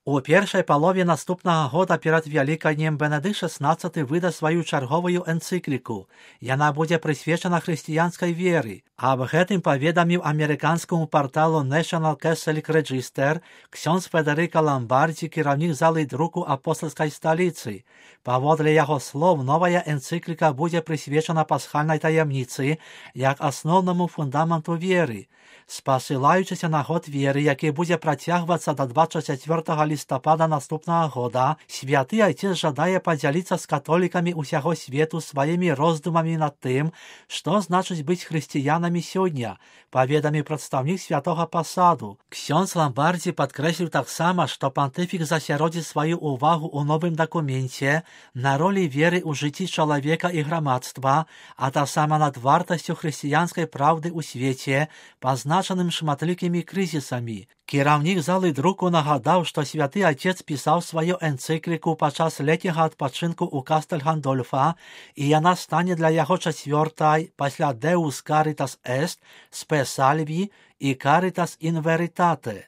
У першай палове наступнага года перад Вялікаднем Бенедыкт XVI выда сваю чарговую энцыкліку. Яна будзе прысвечана хрысціянскай веры. Аб гэтым паведаміў амерыканскаму парталу National Catholic Register ксёндз Федэрыка Ламбардзі, кіраўнік залы друку апостальскай сталіцы. Паводле яго слоў, новая энцыкліка будзе прысвечана пасхальнай таямніцы як асноўнаму фундаменту веры. Спасылаючыся на год веры, які будзе працягвацца да 24 лістапада наступнага года, святы айцец жадае падзяліцца з католікамі ўсяго свету сваімі роздумамі над тым, што значыць быць хрысціянамі сёння, паведаміў прадстаўнік святога пасаду. Ксёндз Ламбардзі падкрэсліў таксама, што пантыфік засяродзіць сваю ўвагу ў новым дакуменце на ролі веры ў жыцці чалавека і грамадства, а таксама над вартасцю хрысціянскай праўды ў свеце, пазначаным шматлікімі крызісамі. Кіраўнік залы друку нагадаў, што святы айцец пісаў сваю энцыкліку падчас летняга адпачынку ў Кастель Гандольфа, і яна стане для яго чацвёртай пасля Deus Caritas Est, Spe Salvi і Caritas in Veritate.